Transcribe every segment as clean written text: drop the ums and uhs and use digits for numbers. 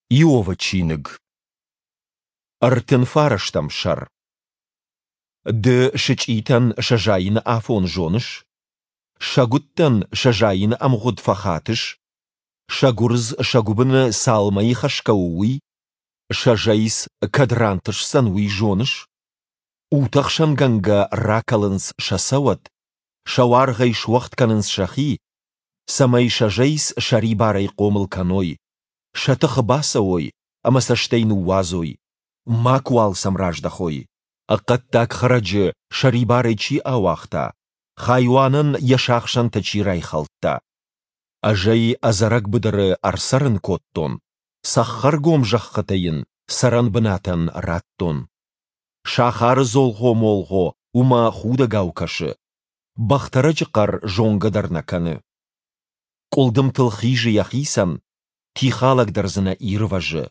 Иовы чиныг. 39 сӕр. Ды сычъитӕн сӕ зайыны афон зоныс? Сӕгуыттӕн сӕ зайыны ӕмгъуыд фӕхатыс? Сӕ гуырдз сӕ гуыбыны цал мӕйы хӕсгӕ у, уый? Сӕ зӕйц кӕд рантысдзӕн, уый зоныс? Утӕхсӕнгӕнгӕ ракӕлынц сӕ цӕуӕт, сӕ уаргъӕй суӕгъд кӕнынц сӕхи, цӕмӕй сӕ зӕйц сӕрибарӕй хъомыл кӕной, сӕ тыхы бацӕуой ӕмӕ сӕ стӕй ныууадзой, макуал сӕм раздӕхой. Хъӕддаг хӕрӕджы сӕрибарӕй чи ауагъта, хайуанӕн йӕ сахсӕнтӕ чи райхӕлдта. Ӕз ӕй ӕдзӕрӕг быдыры ӕрцӕрын кодтон, цӕххӕргом зӕххытӕ йын цӕрӕнбынатӕн радтон. Сахары дзолгъо-молгъо уымӕ худӕгау кӕсы, бӕхтӕрӕджы хъӕр зонгӕ дӕр нӕ кӕны. Къуылдымтыл хизы йӕхицӕн, тихалӕг дӕр дзы нӕ ирвӕзы.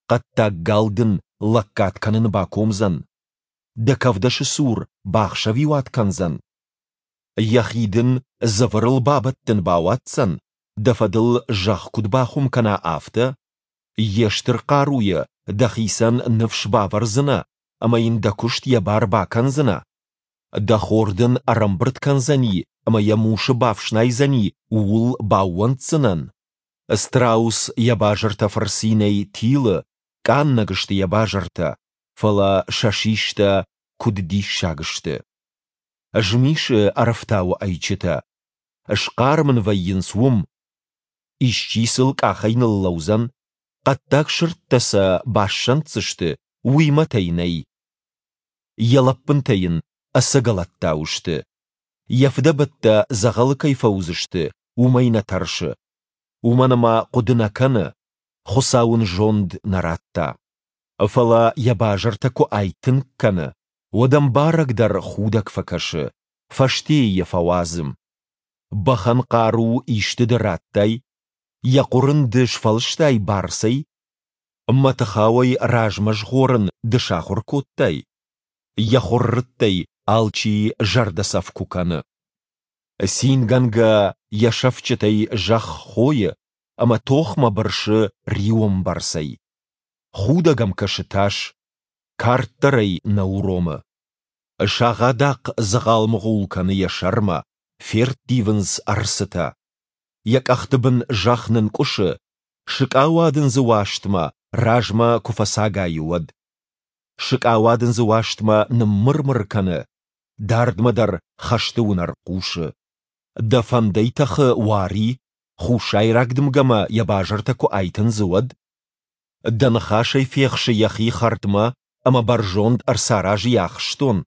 Хъӕддаг гал дын лӕггад кӕнын бакомдзӕн? Дӕ кӕвдӕсы цур бахсӕвиуат кӕндзӕн? Йӕхи дын дзывырыл бабӕттын бауадздзӕн, дӕ фӕдыл зӕхх куыд бахуым кӕна, афтӕ? Йе стыр хъаруйӕ дӕхицӕн ныфс бавӕрдзынӕ ӕмӕ йын дӕ куыст йӕ бар бакӕндзынӕ? Дӕ хор дын ӕрӕмбырд кӕндзӕни ӕмӕ йӕ мусы бафснайдзӕни, ууыл баууӕнддзынӕн? Страус йӕ базыртӕ фырцинӕй тилы, къаннӕг сты йӕ базыртӕ, фӕлӕ сӕ систӕ куыд диссаг сты. Змисы ӕрӕфтауы ӕйчытӕ, схъарм ын вӕййынц уым. Исчи сыл къахӕй ныллӕудзӕн, хъӕддаг сырдтӕ сӕ бассӕнддзысты, уый мӕт ӕй нӕй. Йӕ лӕппынтӕ йын ӕцӕгӕлӕттау сты. Йӕ фыдӕбӕттӕ дзӕгъӕлы кӕй фӕуыдзысты, уымӕй нӕ тӕрсы. Уымӕн ӕмӕ хъуыды нӕ кӕны, Хуыцау ын зонд нӕ радта. Фӕлӕ йӕ базыртӕ куы айтынг кӕны, уӕд ӕм барӕг дӕр худӕг фӕкӕсы, фӕстейы йӕ фӕуадзы. Бӕхӕн хъару исты ды радтай? Йӕ хъуыр ын ды сфӕлыстай барцӕй? Мӕтыхауӕй размӕ згъорын ды сахуыр кодтай? Йӕ хуыррыттӕй алчи зӕрдӕцӕф куы кӕны. Цингӕнгӕ йӕ сӕфтджытӕй зӕхх хойы ӕмӕ тохмӕ бырсы риуӕмбӕрцӕй. Худӕг ӕм кӕсы тас, кард дӕр ӕй нӕ уромы. Сагъӕдахъ дзыгъал-мыгъул кӕны йӕ сӕрмӕ, ферттивынц ӕрцытӕ. Йӕ къӕхты бын зӕхх нынкъуысы, сыкъауадындзы уастмӕ размӕ куы фӕцагайы, уӕд. Сыкъауадындзы уастмӕ ныммыр-мыр кӕны, дардмӕ дӕр хӕсты уынӕр хъусы. Дӕ фӕндӕй тӕхы уари, хуссайраг дымгӕмӕ йӕ базыртӕ куы айтындзы, уӕд? Дӕ ныхасӕй фехсы йӕхи хӕрдмӕ ӕмӕ бӕрзонд ӕрцаразы йӕ ахстон,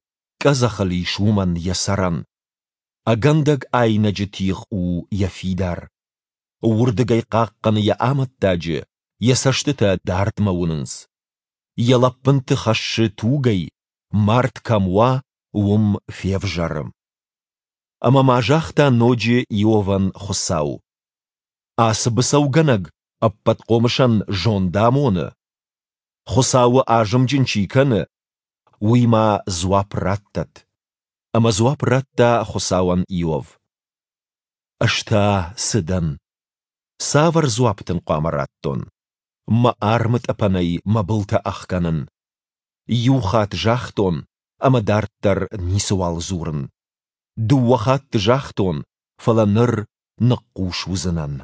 къӕдзӕхыл ис уымӕн йӕ цӕрӕн. Ӕгӕндӕг айнӕджы тигъ у йӕ фидар. Уырдыгӕй хъахъхъӕны йӕ амӕттаджы, йӕ цӕстытӕ дардмӕ уынынц. Йӕ лӕппынты хӕссы тугӕй, мард кӕм уа, уым февзӕры. Ӕмӕ ма загъта ноджы Иовӕн Хуыцау: Ацы быцӕугӕнӕг Ӕппӕтхъомысӕн зонд амоны? Хуыцауы азымджын чи кӕны, уый ма дзуапп раттӕд. Ӕмӕ дзуапп радта Хуыцауӕн Иов: Ӕз та цы дӕн? Цавӕр дзуапп дын хъуамӕ раттон? Мӕ армы тъӕпӕнӕй мӕ былтӕ ӕхгӕнын. Иу хатт загътон, ӕмӕ дарддӕр ницыуал дзурын. Дыууӕ хатты загътон, фӕлӕ ныр ныхъхъус уыдзынӕн.